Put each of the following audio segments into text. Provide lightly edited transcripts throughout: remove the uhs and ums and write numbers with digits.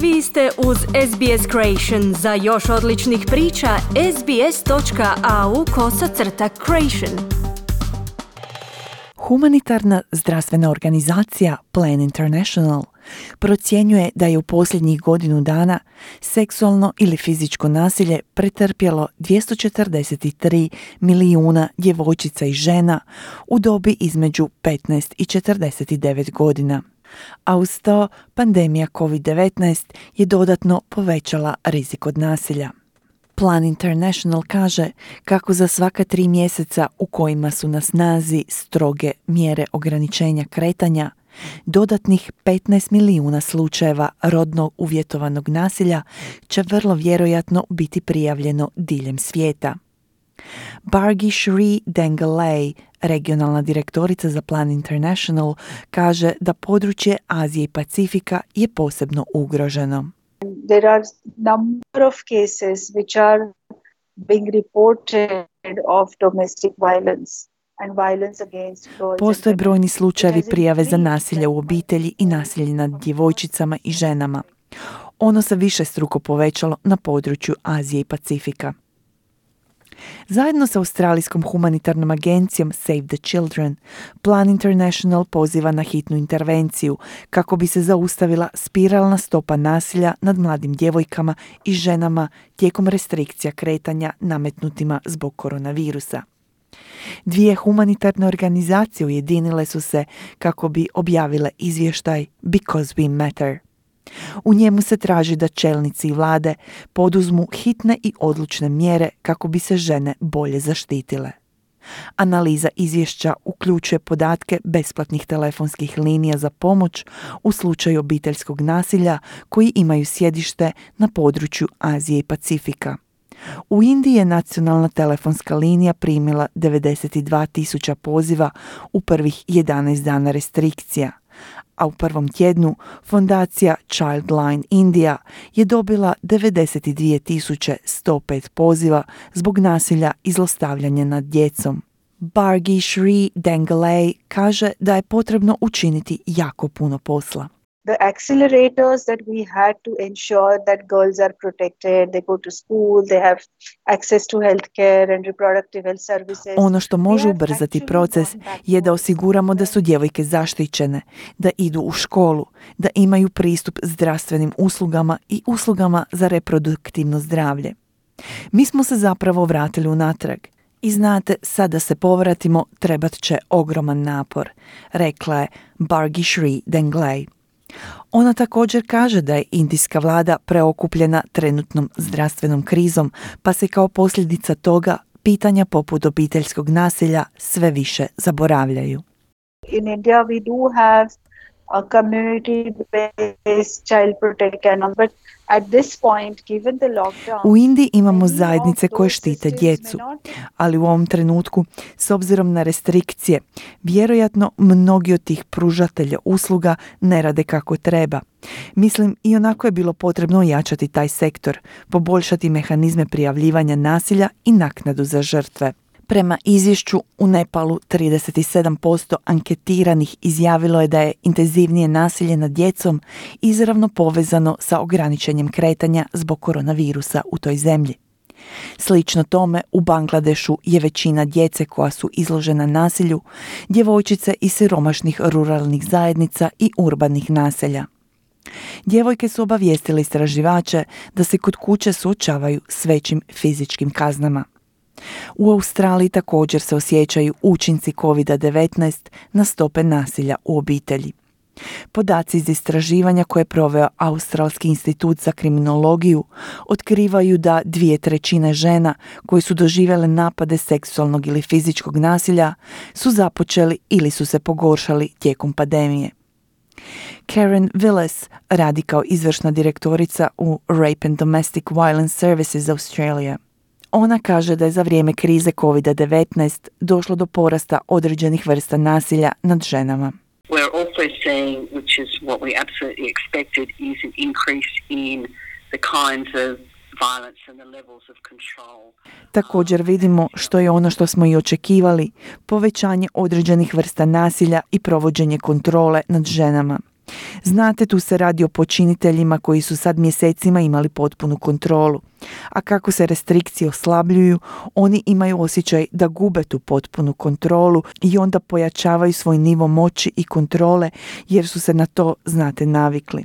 Vi ste uz SBS Creation. Za još odličnih priča, sbs.au/creation. Humanitarna zdravstvena organizacija Plan International procjenjuje da je u posljednjih godinu dana seksualno ili fizičko nasilje pretrpjelo 243 milijuna djevojčica i žena u dobi između 15 i 49 godina. A uz to pandemija COVID-19 je dodatno povećala rizik od nasilja. Plan International kaže kako za svaka 3 mjeseca u kojima su na snazi stroge mjere ograničenja kretanja, dodatnih 15 milijuna slučajeva rodno uvjetovanog nasilja će vrlo vjerojatno biti prijavljeno diljem svijeta. Bargi Shri Dengalay, regionalna direktorica za Plan International, kaže da područje Azije i Pacifika je posebno ugroženo. There are number of cases which are being reported of domestic violence and violence against girls. Postoje brojni slučajevi prijave za nasilje u obitelji i nasilje nad djevojčicama i ženama. Ono se višestruko povećalo na području Azije i Pacifika. Zajedno sa Australijskom humanitarnom agencijom Save the Children, Plan International poziva na hitnu intervenciju kako bi se zaustavila spiralna stopa nasilja nad mladim djevojkama i ženama tijekom restrikcija kretanja nametnutima zbog koronavirusa. 2 humanitarne organizacije ujedinile su se kako bi objavile izvještaj Because We Matter. U njemu se traži da čelnici i vlade poduzmu hitne i odlučne mjere kako bi se žene bolje zaštitile. Analiza izvješća uključuje podatke besplatnih telefonskih linija za pomoć u slučaju obiteljskog nasilja koji imaju sjedište na području Azije i Pacifika. U Indiji je nacionalna telefonska linija primila 92.000 poziva u prvih 11 dana restrikcija, a u prvom tjednu fondacija Childline India je dobila 92.105 poziva zbog nasilja i zlostavljanja nad djecom. Bargi Shri Dengalay kaže da je potrebno učiniti jako puno posla. The accelerators that we had to ensure that girls are protected, they go to school, they have access to healthcare and reproductive health services. Ono što može ubrzati proces je da osiguramo da su djevojke zaštićene, da idu u školu, da imaju pristup zdravstvenim uslugama i uslugama za reproduktivno zdravlje. Mi smo se zapravo vratili unatrag. I znate, sad da se povratimo trebat će ogroman napor, rekla je Bargi Shri Dengalay. Ona također kaže da je indijska vlada preokupljena trenutnom zdravstvenom krizom, pa se kao posljedica toga pitanja poput obiteljskog nasilja sve više zaboravljaju. In India we do have a community-based child protection, but at this point, given the lockdown, u Indiji imamo zajednice koje štite djecu, ali u ovom trenutku, s obzirom na restrikcije, vjerojatno mnogi od tih pružatelja usluga ne rade kako treba. Mislim, i onako je bilo potrebno ojačati taj sektor, poboljšati mehanizme prijavljivanja nasilja i naknadu za žrtve. Prema izvješću, u Nepalu 37% anketiranih izjavilo je da je intenzivnije nasilje nad djecom izravno povezano sa ograničenjem kretanja zbog koronavirusa u toj zemlji. Slično tome, u Bangladešu je većina djece koja su izložena nasilju djevojčice iz siromašnih ruralnih zajednica i urbanih naselja. Djevojke su obavijestile istraživače da se kod kuće suočavaju s većim fizičkim kaznama. U Australiji također se osjećaju učinci COVID-19 na stope nasilja u obitelji. Podaci iz istraživanja koje je proveo Australski institut za kriminologiju otkrivaju da 2/3 žena koje su doživjele napade seksualnog ili fizičkog nasilja su započeli ili su se pogoršali tijekom pandemije. Karen Willis radi kao izvršna direktorica u Rape and Domestic Violence Services Australia. Ona kaže da je za vrijeme krize COVID-19 došlo do porasta određenih vrsta nasilja nad ženama. We're also seeing, which is what we absolutely expected, is an increase in the kinds of violence and the levels of control. Također vidimo, što je ono što smo i očekivali, povećanje određenih vrsta nasilja i provođenje kontrole nad ženama. Znate, tu se radi o počiniteljima koji su sad mjesecima imali potpunu kontrolu. A kako se restrikcije oslabljuju, oni imaju osjećaj da gube tu potpunu kontrolu i onda pojačavaju svoj nivo moći i kontrole jer su se na to, znate, navikli.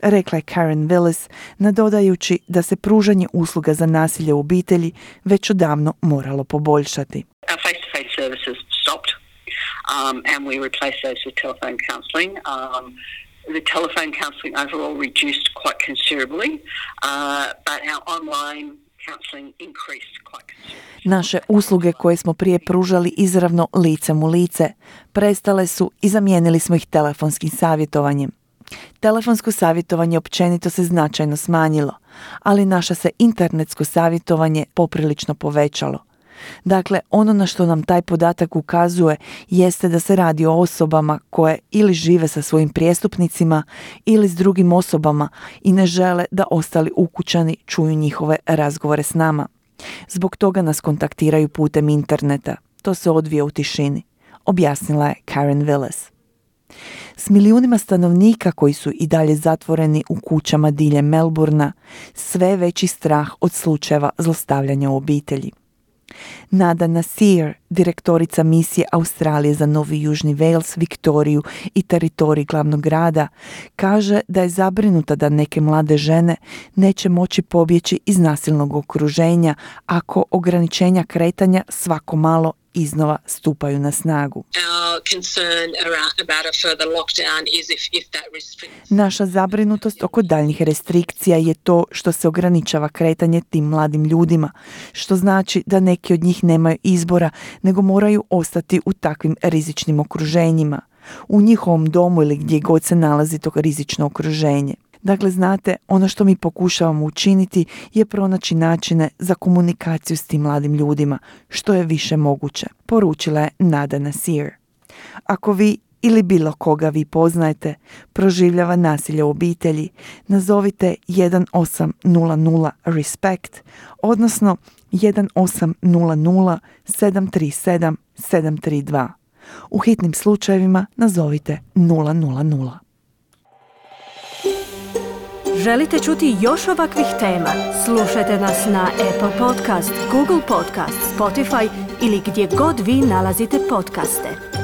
Rekla je Karen Willis, nadodajući da se pružanje usluga za nasilje u obitelji već odavno moralo poboljšati. Our face-to-face services stopped and we replaced those with telephone counselling. The telephone counselling overall reduced quite considerably, but our online counselling increased quite considerably. Naše usluge koje smo prije pružali izravno licem u lice prestale su i zamijenili smo ih telefonskim savjetovanjem. Telefonsko savjetovanje općenito se značajno smanjilo, ali naše se internetsko savjetovanje poprilično povećalo. Dakle, ono na što nam taj podatak ukazuje jeste da se radi o osobama koje ili žive sa svojim prijestupnicima ili s drugim osobama i ne žele da ostali ukućani čuju njihove razgovore s nama. Zbog toga nas kontaktiraju putem interneta. To se odvija u tišini, objasnila je Karen Willis. S milijunima stanovnika koji su i dalje zatvoreni u kućama diljem Melbourna, sve veći strah od slučajeva zlostavljanja u obitelji. Nada Nasir, direktorica misije Australije za Novi Južni Wales, Viktoriju i teritorij glavnog grada, kaže da je zabrinuta da neke mlade žene neće moći pobjeći iz nasilnog okruženja ako ograničenja kretanja svako malo iznova stupaju na snagu. Naša zabrinutost oko daljnjih restrikcija je to što se ograničava kretanje tim mladim ljudima, što znači da neki od njih nemaju izbora, nego moraju ostati u takvim rizičnim okruženjima, u njihovom domu ili gdje god se nalazi to rizično okruženje. Dakle, znate, ono što mi pokušavamo učiniti je pronaći načine za komunikaciju s tim mladim ljudima, što je više moguće, poručila je Nada Nasir. Ako vi ili bilo koga vi poznajete proživljava nasilje u obitelji, nazovite 1800 RESPECT, odnosno 1800 737 732. U hitnim slučajevima nazovite 000. Želite čuti još ovakvih tema? Slušajte nas na Apple Podcast, Google Podcast, Spotify ili gdje god vi nalazite podcaste.